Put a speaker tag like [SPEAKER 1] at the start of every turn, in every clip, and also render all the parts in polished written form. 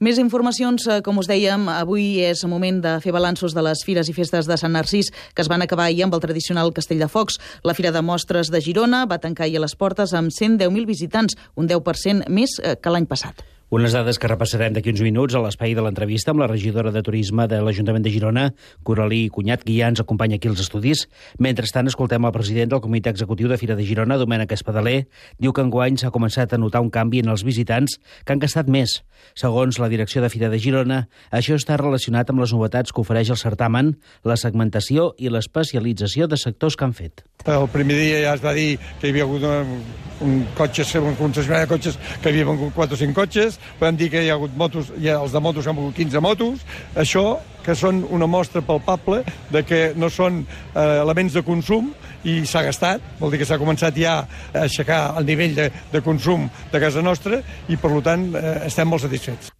[SPEAKER 1] Més informacions, com us dèiem, avui és moment de fer balanços de les fires i festes de Sant Narcís que es van acabar ahir amb el tradicional Castell de Focs. La Fira de Mostres de Girona va tancar ahir les portes amb 110.000 visitants, un 10% més que l'any passat.
[SPEAKER 2] Unes dades que repassarem d'aquí uns minuts a l'espai de l'entrevista amb la regidora de Turisme de l'Ajuntament de Girona, Coralí Cunyat, que ja ens acompanya aquí als estudis. Mentrestant, escoltem el president del Comitè Executiu de Fira de Girona, Domènec Espadaler. Diu que enguany s'ha començat a notar un canvi en els visitants que han gastat més. Segons la direcció de Fira de Girona, això està relacionat amb les novetats que ofereix el certamen, la segmentació i l'especialització de sectors que han fet.
[SPEAKER 3] El primer dia ja es va dir que hi havia hagut un concessionari de cotxes que havia vengut 4 o 5 cotxes, vam dir que hi ha hagut motos, els de motos han vengut 15 motos, això que són una mostra palpable de que no són elements de consum i s'ha gastat, vol dir que s'ha començat ja a aixecar el nivell de consum de casa nostra i per tant estem molt satisfets.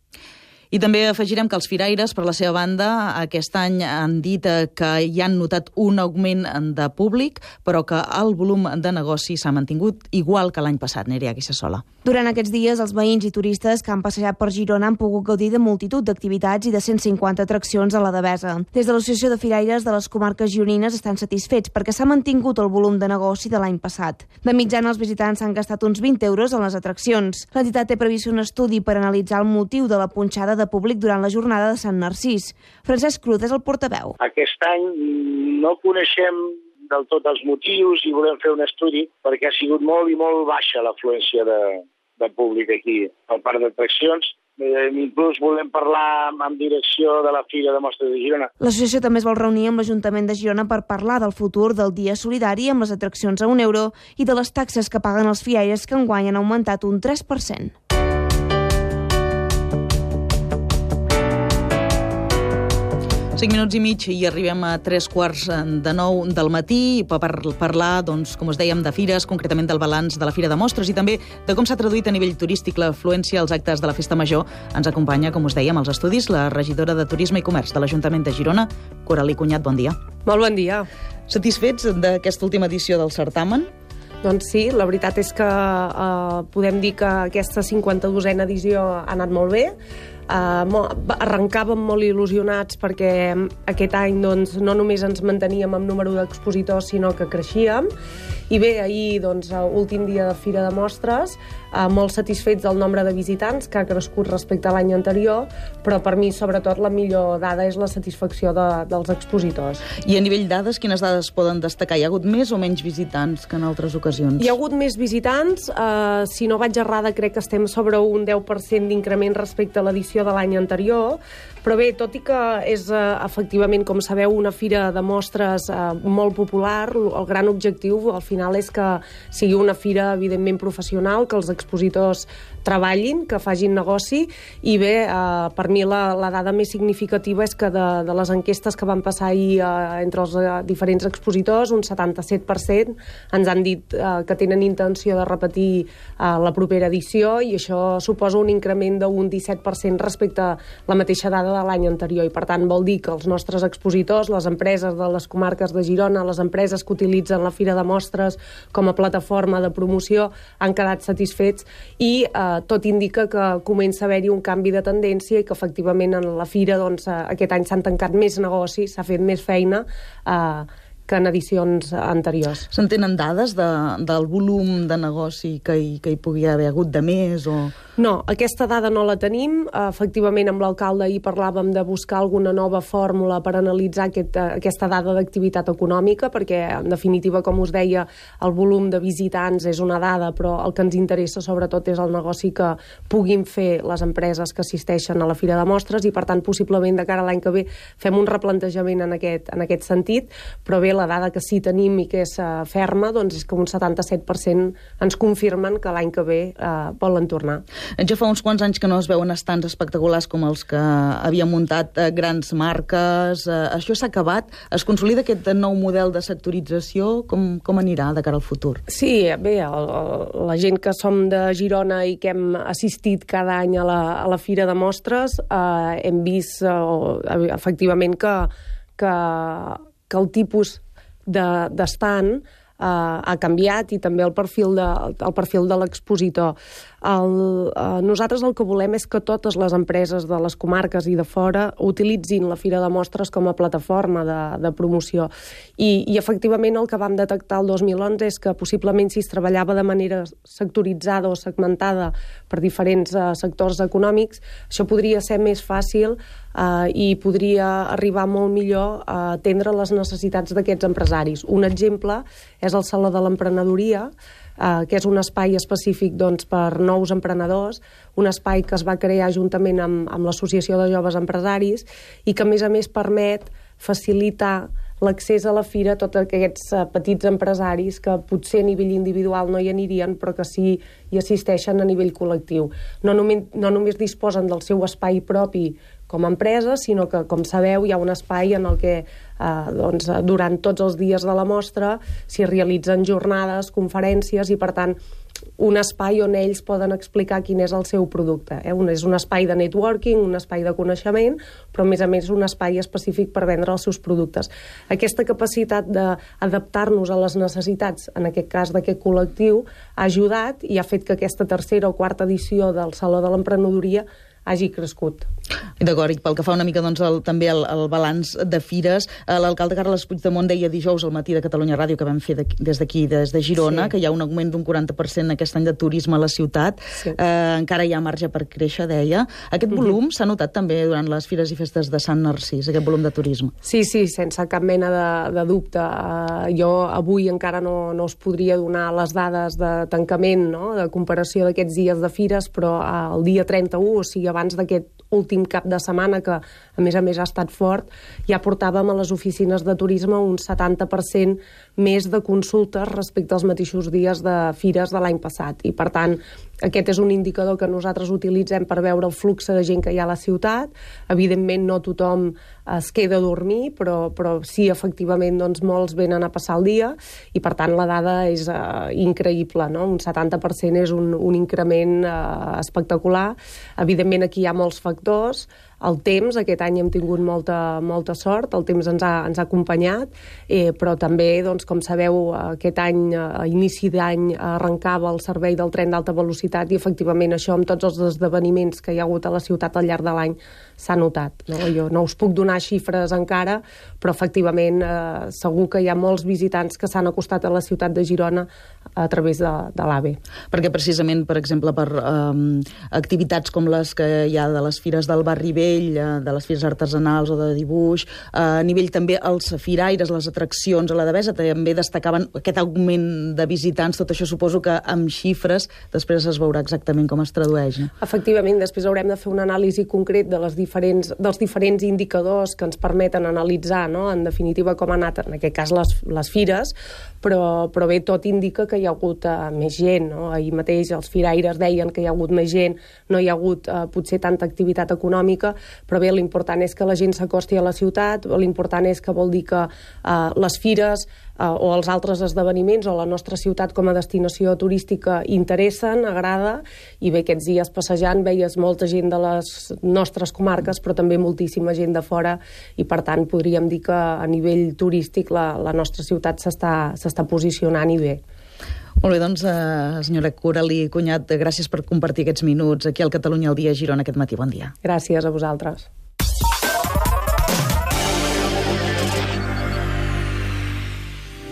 [SPEAKER 1] I també afegirem que els firaires, per la seva banda, aquest any han dit que hi han notat un augment de públic, però que el volum de negoci s'ha mantingut igual que l'any passat. Nerea Guissasola.
[SPEAKER 4] Durant aquests dies, els veïns i turistes que han passejat per Girona han pogut gaudir de multitud d'activitats i de 150 atraccions a la Devesa. Des de l'Associació de Firaires de les comarques gironines estan satisfets perquè s'ha mantingut el volum de negoci de l'any passat. De mitjana, els visitants han gastat uns 20 euros en les atraccions. L'entitat té previst un estudi per analitzar el motiu de la punxada de públic durant la jornada de Sant Narcís. Francesc Cruz és el portaveu.
[SPEAKER 5] Aquest any no coneixem del tot els motius i volem fer un estudi perquè ha sigut molt i molt baixa l'afluència de públic aquí al parc d'atraccions. Inclús volem parlar amb direcció de la Fira de Mostres de Girona.
[SPEAKER 4] L'associació també es vol reunir amb l'Ajuntament de Girona per parlar del futur del dia solidari amb les atraccions a €1 i de les taxes que paguen els firaires que enguany han augmentat un 3%.
[SPEAKER 1] 5 minuts i mig i arribem a 8:45 del matí per parlar, doncs, com us dèiem, de fires, concretament del balanç de la Fira de Mostres i també de com s'ha traduït a nivell turístic l'afluència als actes de la Festa Major. Ens acompanya, com us dèiem, als estudis la regidora de Turisme i Comerç de l'Ajuntament de Girona, Coralí Cunyat. Bon dia.
[SPEAKER 6] Molt bon dia.
[SPEAKER 1] Satisfets d'aquesta última edició del certamen?
[SPEAKER 6] Doncs sí, la veritat és que podem dir que aquesta 52a edició ha anat molt bé. Arrencàvem molt il·lusionats perquè aquest any doncs, no només ens manteníem amb número d'expositors, sinó que creixíem. I bé, ahir, doncs, últim dia de Fira de Mostres, molt satisfets del nombre de visitants, que ha crescut respecte a l'any anterior, però per mi, sobretot, la millor dada és la satisfacció dels expositors.
[SPEAKER 1] I a nivell dades, quines dades poden destacar? Hi ha hagut més o menys visitants que en altres ocasions?
[SPEAKER 6] Hi ha hagut més visitants. Si no vaig errada, crec que estem sobre un 10% d'increment respecte a l'edició de l'any anterior, però bé, tot i que és efectivament, com sabeu, una fira de mostres molt popular, el gran objectiu al final és que sigui una fira evidentment professional, que els expositors treballin, que facin negoci, i bé, per mi la dada més significativa és que de les enquestes que van passar ahir entre els diferents expositors, un 77% ens han dit que tenen intenció de repetir la propera edició, i això suposa un increment d'un 17% respecte a la mateixa dada de l'any anterior, i per tant vol dir que els nostres expositors, les empreses de les comarques de Girona, les empreses que utilitzen la Fira de Mostres com a plataforma de promoció han quedat satisfets, i tot indica que comença a haver-hi un canvi de tendència i que efectivament en la Fira doncs, aquest any s'han tancat més negocis, s'ha fet més feina que en edicions anteriors.
[SPEAKER 1] Se'n tenen dades del volum de negoci que hi pugui haver hagut de més?
[SPEAKER 6] No, aquesta dada no la tenim. Efectivament, amb l'alcalde ahir parlàvem de buscar alguna nova fórmula per analitzar aquesta dada d'activitat econòmica, perquè, en definitiva, com us deia, el volum de visitants és una dada, però el que ens interessa sobretot és el negoci que puguin fer les empreses que assisteixen a la Fira de Mostres, i per tant, possiblement de cara a l'any que ve fem un replantejament en aquest sentit, però bé, la dada que sí tenim i que és ferma doncs és que un 77% ens confirmen que l'any que ve volen tornar.
[SPEAKER 1] Ja fa uns quants anys que no es veuen estants espectaculars com els que havien muntat grans marques. Això s'ha acabat? Es consolida aquest nou model de sectorització? Com anirà de cara al futur?
[SPEAKER 6] Sí, bé, la gent que som de Girona i que hem assistit cada any a la Fira de Mostres hem vist efectivament que el tipus d'estand ha canviat, i també el perfil de l'expositor. Nosaltres el que volem és que totes les empreses de les comarques i de fora utilitzin la Fira de Mostres com a plataforma de promoció. I efectivament el que vam detectar el 2011 és que possiblement si es treballava de manera sectoritzada o segmentada per diferents sectors econòmics, això podria ser més fàcil i podria arribar molt millor a atendre les necessitats d'aquests empresaris. Un exemple és el Saló de l'Emprenedoria, que és un espai específic per nous emprenedors, un espai que es va crear juntament amb l'Associació de Joves Empresaris i que, a més, permet facilitar l'accés a la fira a tots aquests petits empresaris que potser a nivell individual no hi anirien, però que sí hi assisteixen a nivell col·lectiu. No només disposen del seu espai propi com a empresa, sinó que, com sabeu, hi ha un espai en el que durant tots els dies de la mostra s'hi realitzen jornades, conferències i, per tant, un espai on ells poden explicar quin és el seu producte. És un espai de networking, un espai de coneixement, però a més un espai específic per vendre els seus productes. Aquesta capacitat d'adaptar-nos a les necessitats, en aquest cas d'aquest col·lectiu, ha ajudat i ha fet que aquesta tercera o quarta edició del Saló de l'Emprenedoria hagi crescut.
[SPEAKER 1] D'acord, i pel que fa una mica també al balanç de fires, l'alcalde Carles Puigdemont deia dijous al matí de Catalunya Ràdio, que vam fer des d'aquí, des de Girona, que hi ha un augment d'un 40% aquest any de turisme a la ciutat. Encara hi ha marge per créixer, deia. Aquest volum s'ha notat també durant les fires i festes de Sant Narcís, aquest volum de turisme.
[SPEAKER 6] Sí, sense cap mena de dubte. Jo avui encara no us podria donar les dades de tancament, de comparació d'aquests dies de fires, però el dia 31, o sigui, abans d'aquest últim cap de setmana, que a més ha estat fort, ja portàvem a les oficines de turisme un 70% més de consultes respecte als mateixos dies de fires de l'any passat. I, per tant, aquest és un indicador que nosaltres utilitzem per veure el flux de gent que hi ha a la ciutat. Evidentment, no tothom es queda a dormir, però sí, efectivament, molts venen a passar el dia i, per tant, la dada és increïble, no? Un 70% és un increment espectacular. Evidentment, aquí hi ha molts factors. El temps, aquest any hem tingut molta sort, el temps ens ha acompanyat, però també, com sabeu, aquest any, a inici d'any, arrencava el servei del tren d'alta velocitat i, efectivament, això amb tots els esdeveniments que hi ha hagut a la ciutat al llarg de l'any s'ha notat. Jo no us puc donar xifres encara, però, efectivament, segur que hi ha molts visitants que s'han acostat a la ciutat de Girona a través de l'AVE.
[SPEAKER 1] Perquè, precisament, per exemple, per activitats com les que hi ha de les fires del Barri Vell, de les fires artesanals o de dibuix, a nivell també els firaires, les atraccions a la Devesa, també destacaven aquest augment de visitants. Tot això suposo que amb xifres després es veurà exactament com es tradueix.
[SPEAKER 6] Efectivament, després haurem de fer una anàlisi concret dels diferents indicadors que ens permeten analitzar, en definitiva, com ha anat, en aquest cas, les fires, però bé, tot indica que hi ha hagut més gent. Ahir mateix els firaires deien que hi ha hagut més gent, no hi ha hagut potser tanta activitat econòmica, però bé, l'important és que la gent s'acosti a la ciutat, l'important és que vol dir que les fires o els altres esdeveniments o la nostra ciutat com a destinació turística interessen, agrada, i bé, aquests dies passejant veies molta gent de les nostres comarques, però també moltíssima gent de fora, i per tant podríem dir que a nivell turístic la nostra ciutat s'està posicionant i bé.
[SPEAKER 1] Molt bé, doncs, senyora Coralí Cunyat, gràcies per compartir aquests minuts aquí al Catalunya al Dia a Girona aquest matí. Bon dia.
[SPEAKER 6] Gràcies a vosaltres.